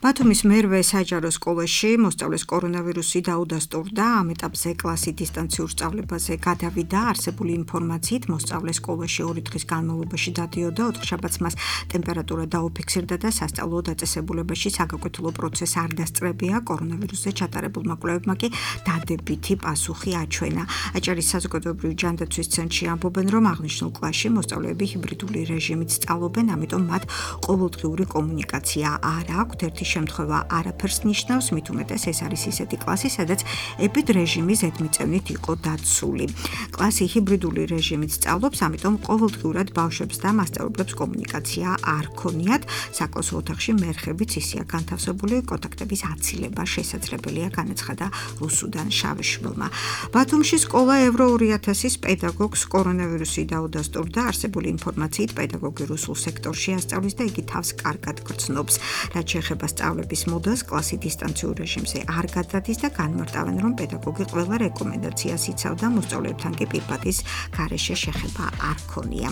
ბათუმის მერვე საჯარო სკოლაში მოსწავლეს კორონავირუსი დაუდასტურდა, ამ ეტაპზე კლასი დისტანციურ სწავლებაზე გადავიდა. არსებული ინფორმაციით მოსწავლე სკოლაში ორი დღის განმავლობაში დადიოდა, ოთხშაბათს მას ტემპერატურა დაუფიქსირდა და სასწავლო დაწესებულებაში საგაკვეთილო პროცესი არ დასწრებია. კორონავირუსზე ჩატარებულმა კვლევებმა კი დადებითი პასუხი აჩვენა. აჭარის საზოგადოებრივი ჯანდაცვის ცენტრში ამბობენ, რომ აღნიშნულ კლასში მოსწავლეები ჰიბრიდული რეჟიმით სწავლობენ, ამიტომ მათ ყოველდღიური კომუნიკაცია არ აქვთ. ერთი შემთხვევა არაფერს ნიშნავს, მით უმეტეს ეს არის ისეთი კლასი, სადაც ეპიდ რეჟიმი ზედმიწევნით იყო დაცული. კლასი ჰიბრიდული რეჟიმით სწავლობს, ამიტომ ყოველდღიურად ბავშვებს და მასწავლებლებს კომუნიკაცია არ ქონიათ. საკლასო ოთახში მერხებიც ისეა განთავსებული, კონტაქტების აცილება შესაძლებელია, განაცხადა რუსუდან შავიშვილმა. ბათუმში სკოლა ევრო ორი ათასის პედაგოგს კორონავირუსი დაუდასტურდა. არსებული ინფორმაციით პედაგოგი რუსულ სექტორში ასწავლის და იგი თავს კარგად გრძნობს. რაც შეეხება სწავლების მოდელს კლასი დისტანციურ რეჟიმზე არ გადადის და განმარტავენ, რომ პედაგოგი ყველა რეკომენდაციას იცავდა, მოსწავლეებთან კი პირბადის გარეშე შეხება არ ქონია.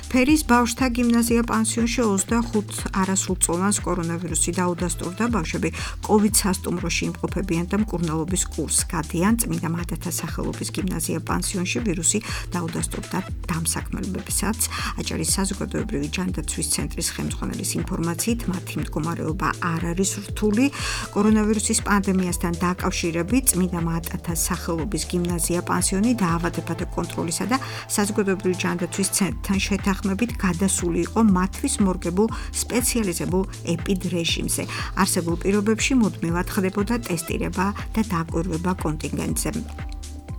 ფერის ბავშვთა გიმნაზია პანსიონში ოცდახუთ არასრულწლოვანს კორონავირუსი დაუდასტურდა. ბავშვები კოვიდ სასტუმროში იმყოფებიან და მკურნალობის კურსს გადიან. წმინდა მადათა სახელობის გიმნაზია პანსიონში ვირუსი დაუდასტურდა დამსაქმებლებსაც. აჭარის საზოგადოებრივი ჯანდაცვის ცენტრის ხელმძღვანელის ინფორმაციით, მათი მდგომარეობა არ არის რთული. კორონავირუსის პანდემიასთან დაკავშირებით წმინდა მადათა სახელობის გიმნაზია პანსიონი დაავადებათა კონტროლისა და საზოგადოებრივი ჯანდაცვის ცენტრთან შეთანხმებით გადასული იყო მათთვის მორგებულ სპეციალიზებულ ეპიდრეჟიმზე. არსებულ პირობებში მუდმივად ხდებოდა ტესტირება და დაკვირვება კონტინგენტზე.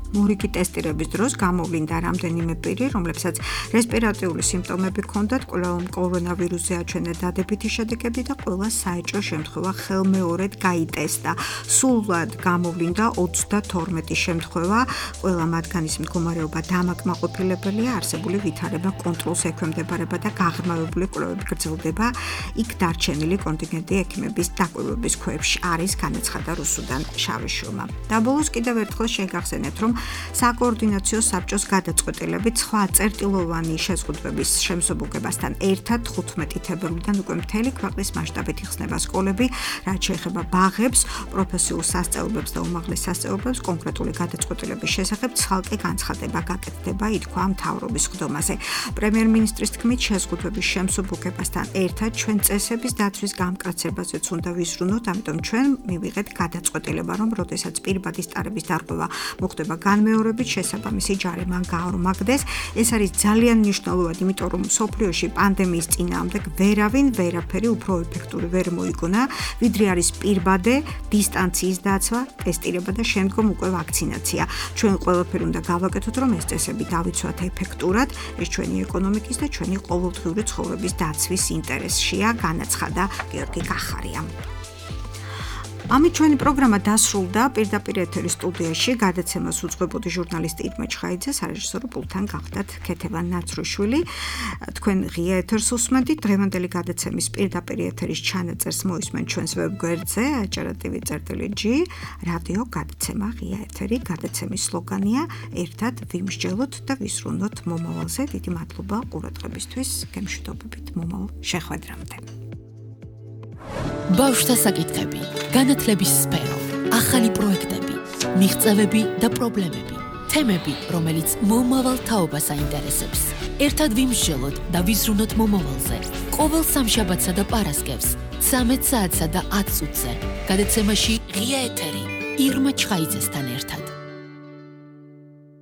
მორიგი ტესტირების დროს გამოვლინდა რამდენიმე პირი, რომლებსაც რესპირატორული სიმპტომები ჰქონდათ, კვლავ კორონავირუსზე აჩვენა დადებითი შედეგები და ყველა საეჭვო შემთხვევა ხელმეორედ გაიტესტა. სულად გამოვლინდა ოცდათორმეტი შემთხვევა, ყველა მათგანის მდგომარეობა დამაკმაყოფილებელია, არსებული ვითარება კონტროლს ექვემდებარება და გაღრმავებული კვლევები გრძელდება. იქ დარჩენილი კონტინგენტი ექიმების დაკვირვების ქვეშ არის, განაცხადა რუსუდან შავიშვილმა. და ბოლოს კიდევ ერთხელ შეგახსენეთ, რომ საკოორდინაციო საბჭოს გადაწყვეტილებით სხვა წერტილოვანი შეზღუდვების შემსუბუქებასთან ერთად თხუთმეტი თებერვლიდან უკვე მთელი ქვეყნის მასშტაბით იხსნება სკოლები, რაც შეეხება ბაღებს, პროფესიულ სასწავლებელს და უმაღლეს სასწავლებელს. კონკრეტული გადაწყვეტილების შესახებ ცალკე განცხადება გაკეთდება, ითქვა მთავრობის ხდომაზე. პრემიერ-მინისტრის თქმით, შეზღუდვების შემსუბუქებასთან ერთად ჩვენ წესების დაცვის გამკაცებაზეც უნდა ვიზრუნოთ, ამიტომ ჩვენ მივიღეთ გადაწყვეტილება, რომ როდესაც პირბადის ტარების დარღვევა მოხდება განმეორებით, შესაბამისი ჯარიმან გაორმაგდეს. ეს არის ძალიან მნიშვნელოვანი, იმიტომ რომ მსოფლიოში პანდემიის წინააღმდეგ ვერავინ ვერაფერი უფრო ეფექტური ვერ მოიგონა, ვიდრე არის პირბადე, დისტანციის დაცვა, ტესტირება და შემდგომ უკვე ვაქცინაცია. ჩვენ ყველაფერი უნდა გავაკეთოთ, რომ ეს წესები დავიცვათ ეფექტურად. ეს ჩვენი ეკონომიკის და ჩვენი ყოველდღიური ცხოვრების დაცვის ინტერესშია, განაცხადა გიორგი კახარია. ამით ჩვენი პროგრამა დასრულდა. პირდაპირ ეთერის სტუდიაში გადაცემას უძღვებოდი ჟურნალისტი ირმა ჩხაიძე, სარეჟისორო პულტთან გახდათ ქეთევან ნაცრუშვილი. თქვენ ღია ეთერს უსმენთ. დღევანდელი გადაცემის პირდაპირ ეთერის ჩანაწერს მოისმენთ ჩვენს ვებგვერდზე acara.tv.g. რადიო გადაცემა ღია ეთერი. გადაცემის სლოგანია ერთად ვიმსჯელოთ და ვისრუნოთ მომავალზე. დიდი მადლობა ყურადღებისთვის. გემშვიდობებით მომავალ შეხვედრამდე. ბავშვთა საკითხები, განათლების სფერო, ახალი პროექტები, მიღწევები და პრობლემები, თემები, რომელიც მომავალ თაობას აინტერესებს. ერთად ვიმსჯელოთ და ვიზრუნოთ მომავალზე. ყოველ სამშაბათსა და პარასკევს, ცამეტ საათსა და ათ წუთზე. გადაცემაში ღია ეთერი, ირმა ჩხაიძესთან ერთად.